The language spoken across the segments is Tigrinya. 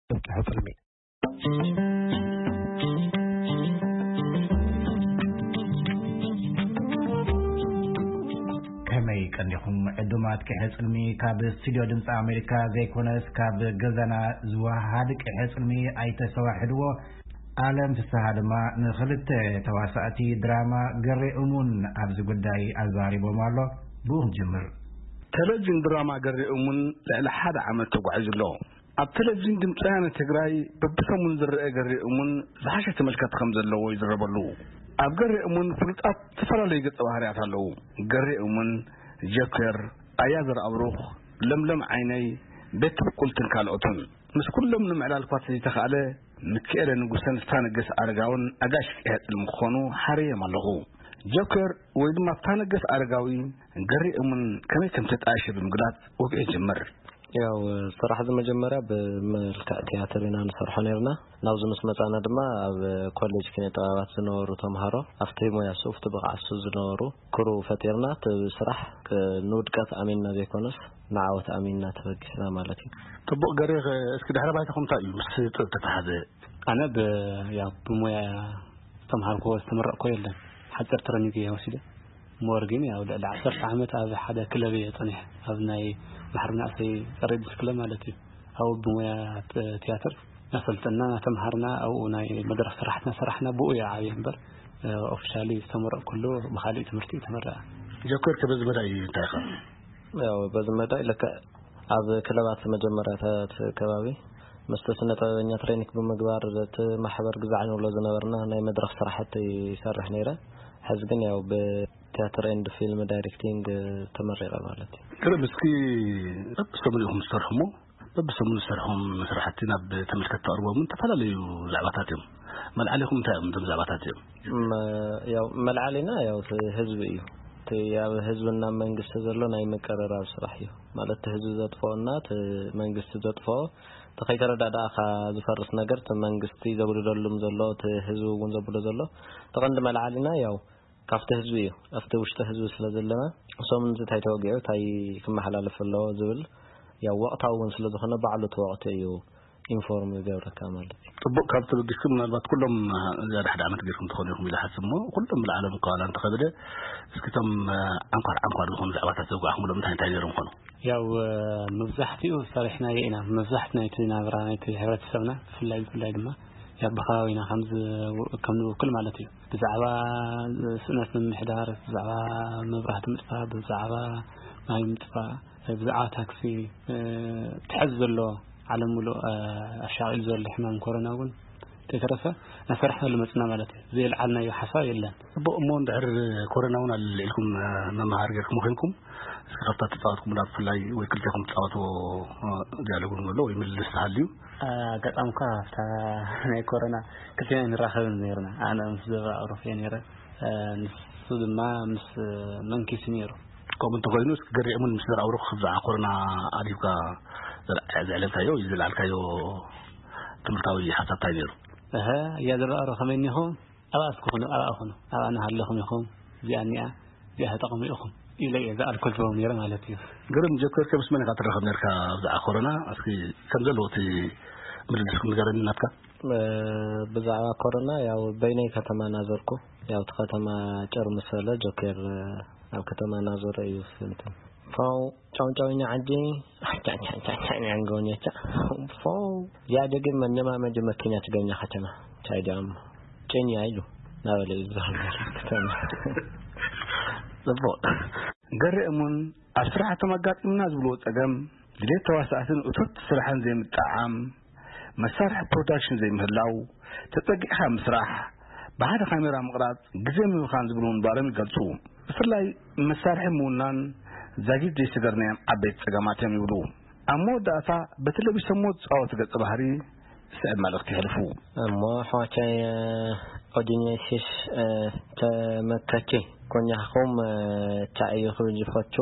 ጽሑፍ ጽልሚ። ከመይ ቀኒኹም ዕዱማት ቅሐ ጽልሚ? ካብ ስቱድዮ ድምፂ ኣሜሪካ ዘይኮነስ ካብ ገዛና ዝወሃድ ቅሐ ጽልሚ ኣይተሰዋሕድዎ። ኣለም ፍስሃ ድማ ንኽልተ ተዋሳእቲ ድራማ ገሬ እሙን ኣብዚ ጉዳይ ኣዛሪቦም ኣሎ። ብኡ ንጅምር። ቴሌቪዥን ድራማ ገሬ እሙን ልዕሊ ሓደ ዓመት ተጓዒዙ ኣሎ። ኣብ ቴሌቪዥን ድምፂ ወያነ ትግራይ በብሰሙን ዝረአ ገሬ እሙን ዝሓሸ ተመልከቲ ከም ዘለዎ ይዝረበሉ። ኣብ ገሬ እሙን ፍሉጣት ዝተፈላለዩ ገፀ ባህርያት ኣለዉ። ገሬ እሙን፣ ጀከር፣ ኣያ ዘርኣብሩኽ፣ ለምለም ዓይነይ፣ ቤት ትብቁልትን ካልኦትን። ምስ ኩሎም ንምዕላል እኳ ተዘይተኻእለ፣ ምክኤለ ንጉሰን ስታነገስ ኣረጋውን ኣጋሽ ቅሐ ጽልሚ ክኾኑ ሓርዮም ኣለኹ። ጆከር ወይ ድማ ስታነገስ ኣረጋዊ ገሬ እሙን ከመይ ከም ተጣየሸ ብምግላጽ ወግዒ ይጅምር። ያው ስራሕ እዚ መጀመርያ ብመልክዕ ትያትር ኢና ንሰርሖ ነርና። ናብዚ ምስ መጻና ድማ ኣብ ኮሌጅ ኪነ ጥበባት ዝነበሩ ተምሃሮ ኣብቲ ሞያ ሱ፣ ኣብቲ ብቕዓት ሱ ዝነበሩ ክሩ ፈጢርና እቲ ስራሕ ክ-፣ ንውድቀት ኣሚንና ዘይኮነስ ንዓወት ኣሚንና ተበጊስና ማለት እዩ። ጽቡቕ ገሬ፣ እስኪ ድሕረ ባይታኹም እንታይ እዩ ምስ ጥበብ ተተሓዘ? ኣነ ብ-፣ ያው ብሞያ ዝተምሃርኩዎ ዝተመረቕኩዎ የለን። ሓፂር ትረኒግ እየ ወሲደ። ሞር ግን ያው ልዕሊ ዓሰርተ ዓመት ኣብ ሓደ ክለብ እየ ፀኒሐ። ኣብ ናይ ማሕበር ናእሰይ ፀረ ኤድስ ክለብ ማለት እዩ። ኣብኡ ብሞያ ት-፣ ትያትር እናሰልጠና እናተምሃርና ኣብኡ ናይ መድረኽ ስራሕትና ሰራሕና ብኡ እየ ዓብየ እምበር፣ እ፣ ኦፊሻሊ ዝተመረቕኩሉ ብካሊእ ትምህርቲ እዩ ተመረቐ። ጆከር ከ በዚ መዳይ እንታይ ኢኻ? ያው በዚ መዳይ ልክዕ ኣብ ክለባት መጀመርያታት ከባቢ ምስቲ ስነ ጥበበኛ ትሬኒክ ብምግባር እቲ ማሕበር ግዛዕ ንብሎ ዝነበርና ናይ መድረኽ ስራሕቲ ይሰርሕ ነይረ። ሕዚ ግን ያው ብቲያትር ኤንድ ፊልም ዳይሬክቲንግ ተመሪቐ ማለት እዩ። ቅርብ እስኪ በብሰሙን ኢኹም ትሰርሑ እሞ በብሰሙን ዝሰርሖም ስራሕቲ ናብ ተመልከትቲ ተቕርቦምን ዝተፈላለዩ ዛዕባታት እዮም። መልዓሊኹም እንታይ እዮም እዞም ዛዕባታት እዮም? መ-፣ ያው መልዓሊና ያው እቲ ህዝቢ እዩ። እቲ ኣብ ህዝብና መንግስቲ ዘሎ ናይ ምቅርራብ ስራሕ እዩ። ማለት እቲ ህዝቢ ዘጥፍኦና እቲ መንግስቲ ዘጥፍኦ፣ እቲ ከይተረዳዳእካ ዝፈርስ ነገር እቲ መንግስቲ ዘጉድለሉም ዘሎ፣ እቲ ህዝቢ እውን ዘብሎ ዘሎ፣ እቲ ቀንዲ መልዓሊና ያው ካብቲ ህዝቢ እዩ። ኣብቲ ውሽጢ ህዝቢ ስለ ዘለና፣ እሶም እዚ እንታይ ተወጊዑ፣ እንታይ ክመሓላለፍ ኣለዎ ዝብል ያው ወቕታዊ እውን ስለ ዝኾነ ባዕሉ እቲ ወቕቲ እዩ ኢንፎርም ዝገብረካ ማለት እዩ። ጽቡቕ፣ ካብ ተበጊስኩም ምናልባት ኩሎም፣ እ፣ ዝያዳ ሓደ ዓመት ጌርኩም ትኾኑ ኢኹም ኢለ ሓስብ እሞ፣ ኩሎም ብልዓሎም እኳ ዋላ እንተኸበደ፣ እስኪ እቶም፣ እ፣ ዓንኳር ዓንኳር ዝኾኑ ዛዕባታት ዘውጋዕኩምሎም እንታይ እንታይ ነይሮም ኮኑ? ያው፣ እ፣ መብዛሕትኡ ሰሪሕናዮ ኢና። መብዛሕትኡ ናይቲ ናብራ ናይቲ ሕብረተሰብና ብፍላይ ብፍላይ ድማ ያው ብኸባቢና ከም ዝ-፣ ከም ንውክል ማለት እዩ። ብዛዕባ ስእነት ምምሕዳር፣ ብዛዕባ መብራህቲ ምጥፋእ፣ ብዛዕባ ማይ ምጥፋእ፣ ብዛዕባ ታክሲ፣ እ፣ ትሕዝ ዘሎ ዓለም ምሉእ፣ እ፣ ኣሻቒሉ ዘሎ ሕማም ኮሮና እውን ተይተረፈ እናሰራሕናሉ መፅና ማለት እዩ። ዘየልዓልናዮ ሓሳብ የለን። ጽቡቕ፣ እሞ እንድሕር ኮሮና እውን ኣልዒልኩም፣ እ፣ መምሃሪ ጌርኩም ኮይንኩም፣ እስኪ ካብታ ተጻወትኩምላ ብፍላይ ወይ ክልቴኹም ትጻወትዎ፣ እ፣ ዲያሎግ እውን ኣሎ ወይ ምልልስ ተሃልዩ? ኣጋጣሚ እኳ ኣብታ ናይ ኮሮና ክልቴና ንራኸብን ነይርና። ኣነ ምስ ዘብራ ኣውሮፍ እየ ነይረ። እ፣ ንሱ ድማ ምስ መንኪስ ነይሩ። ከምኡ እንተኾይኑ፣ እስኪ ገሪዕሙን ምስ ዘርኣውሩኽ ብዛዕባ ኮሮና ኣልሂብካ ዘር-፣ ዘዕለልካዮ ወይ ዘልዓልካዮ ትምህርታዊ ሓሳብ እንታይ ነይሩ? እሀ፣ እያ ዘርኣሮ ከመይ እኒኹም? ኣብኣ እስኪ ኩኑ፣ ኣብኣ ኩኑ፣ ኣብኣ እናሃለኹም ኢኹም፣ እዚኣ እኒኣ፣ እዚኣ ተጠቐሙ ኢኹም ኢለ እየ ዝኣልኮል ዝቦም ነይረ ማለት እዩ። ግርም፣ ጆከር፣ ምስ መን ኢኻ ትራኸብ ነርካ ብዛዕባ ኮሮና? እስኪ ከም ዘለዎ እቲ ምልልስኩም ንገረኒ ናትካ። እ፣ ብዛዕባ ኮሮና ያው በይነይ ከተማ እናዞርኩ፣ ያው እቲ ከተማ ጭር ምስ በለ ጆኬር ኣብ ከተማ እናዞረ እዩ ዝፍንትን። ፋው ጫው ጫው ኢና ዓዲ ጫ ጫ ጫ ጫ ኢና ንገውኛ ጫ። ፋው ያደግን መነማመዲ መኪና ትገኛ ከተማ ቻይዳም ጭን ያይሉ ናበለ እዩ ዝዛረብ ከተማ። ጽቡቕ። ገሬ እሙን ኣብ ስራሕቶም ኣጋጢምና ዝብልዎ ጸገም፣ ድሌት ተዋሳእትን እቶት ስራሕን ዘይምጥዕዓም፣ መሳርሒ ፕሮዳክሽን ዘይምህላው፣ ተጸጊዕካ ምስራሕ፣ ብሓደ ካሜራ ምቕራጽ፣ ግዜ ምብኻን ዝብሉ ምንባሮም ይገልጹ። ብፍላይ መሳርሒ ምውናን ዛጊት ዘይሰገርናዮም ዓበይቲ ጸገማት እዮም ይብሉ። ኣብ መወዳእታ በቲ ለቢሶምዎ ዝጻወቱ ገጸ ባህሪ ዝስዕብ መልእኽቲ የሕልፉ። እሞ ኣሕዋተይ፣ ኦዲንየሲስ፣ ተመከቲ ኮኛኹም፣ ቻ እዩ ክብል ዝፈቱ።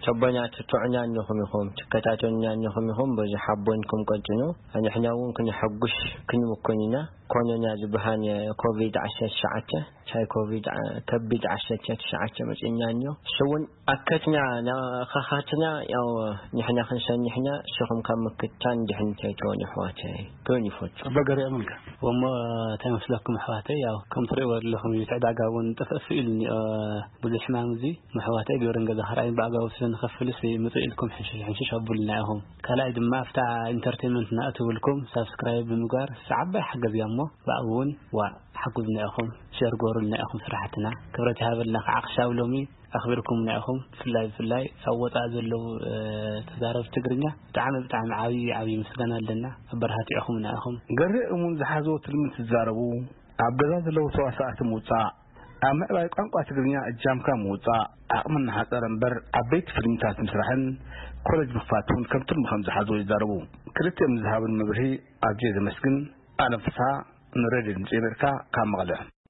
ቸቦኛ ትትዑኛ እንኹም ኢኹም፣ ትከታተሉኛ እንኹም ኢኹም፣ በዚ ሓቦንኩም ቀጭኑ። ኣንሕና እውን ክንሐጉሽ ክንምኩን ኢና። ኮኖና ዝበሃል ኮቪድ ዓሰርተ ትሽዓተ፣ ቻይ ኮቪድ ዓ-፣ ከቢድ ዓሰርተ ትሽዓተ መጺእና እንዮ። እሱ እውን ኣከትና፣ ናኸኻትና፣ ያው ንሕና ክንሰንሕና፣ ንስኹም ካብ ምክታን ድሕን ተይትኾኑ ኣሕዋተይ፣ ክብል ይፈቱ። ኣባ ገሪኦም ኢልካ። እሞ እንታይ መስለኩም ኣሕዋተይ? ያው ከም ትርእይዎ ዘለኹም እዩ፣ እቲ ዕዳጋ እውን ጥፍእፍ ኢሉ እኒኦ ብዙሕ ሕማም እዚ። ኣሕዋተይ ግብርን ገዛ ክርኣይን ብኣግባቡ ስለ ንኸፍልስ ምጽእ ኢልኩም ሕንሽሽ ሕንሽሽ ኣቡልና ኢኹም። ካልኣይ ድማ ኣብታ ኢንተርቴንመንት ናእትውልኩም ሳብስክራይብ ብምግባር እሳ ዓባይ ሓገዝ እያ እሞ ብኣኡ እውን ዋ ሓጉዝና ኢኹም፣ ሸር ጎሩልና ኢኹም ስራሕትና። ክብረት ይሃበልና ከዓ ክሻብ ሎሚ ኣኽቢርኩምና ኢኹም። ብፍላይ ብፍላይ ኣብ ወፃእ ዘለዉ፣ እ፣ ተዛረብቲ ትግርኛ ብጣዕሚ ብጣዕሚ ዓብዪ ዓብዪ ምስጋና ኣለና። ኣበረታቲዕኹምና ኢኹም። ገርህ እሙን ዝሓዝዎ ትልሚ ትዛረቡ፣ ኣብ ገዛ ዘለዉ ተዋሳእቲ ምውፃእ፣ ኣብ ምዕባይ ቋንቋ ትግርኛ እጃምካ ምውፃእ፣ ዓቕሚ እናሓፀረ እምበር ዓበይቲ ፊልምታት ምስራሕን ኮለጅ ምኽፋት እውን ከም ትልሚ ከም ዝሓዝዎ ይዛረቡ። ክልቲኦም ንዝሃቡን መብርሂ ኣዝየ ዘመስግን። ኣለም ፍስሃ፣ ንሬድዮ ድምፂ ኣሜሪካ ካብ መቐለ።